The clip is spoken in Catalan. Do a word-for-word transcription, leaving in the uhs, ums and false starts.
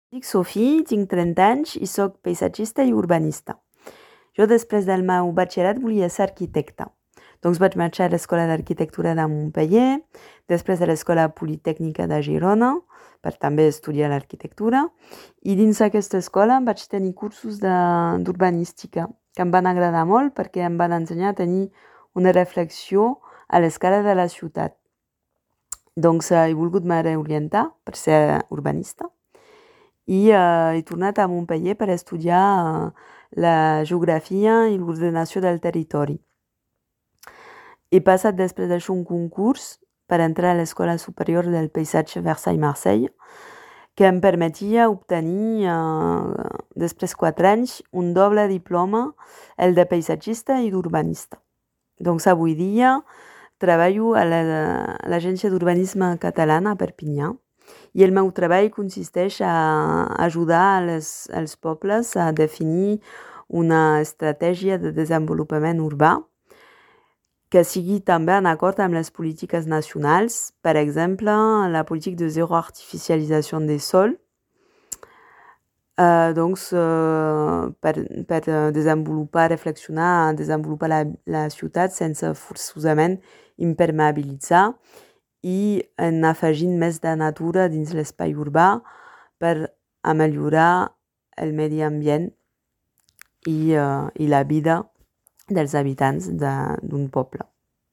Dic Sofia, tinc trenta anys i sóc paisatgista i urbanista. Jo, després del meu batxillerat, volia ser arquitecta. Doncs vaig marxar a l'Escola d'Arquitectura de Montpeller, després a l'Escola Politècnica de Girona, per també estudiar l'arquitectura, i dins aquesta escola vaig tenir cursos d'urbanística, que em van agradar molt perquè em van ensenyar a tenir una reflexió a l'escala de la ciutat. Doncs he volgut me reorientar per ser urbanista i uh, he tornat a Montpeller per estudiar uh, la geografia i l'ordenació del territori. He passat després d'això un concurs per entrar a l'Escola Superior del Paisatge Versailles-Marseille, que em permetia obtenir, uh, després de quatre anys, un doble diploma, el de paisatgista i d'urbanista. Doncs avui dia treballo a l'Agència d'Urbanisme Catalana a Perpinyà, i el meu treball consisteix a ajudar les, els pobles a definir una estratègia de desenvolupament urbà que sigui també en acord amb les polítiques nacionals, per exemple, la política de zero artificialització des sols, uh, doncs, uh, per, per desenvolupar, reflexionar, desenvolupar la, la ciutat sense forçosament impermeabilitzar, i en afegint més de natura dins l'espai urbà per millorar el medi ambient i, uh, i la vida dels habitants d'un poble.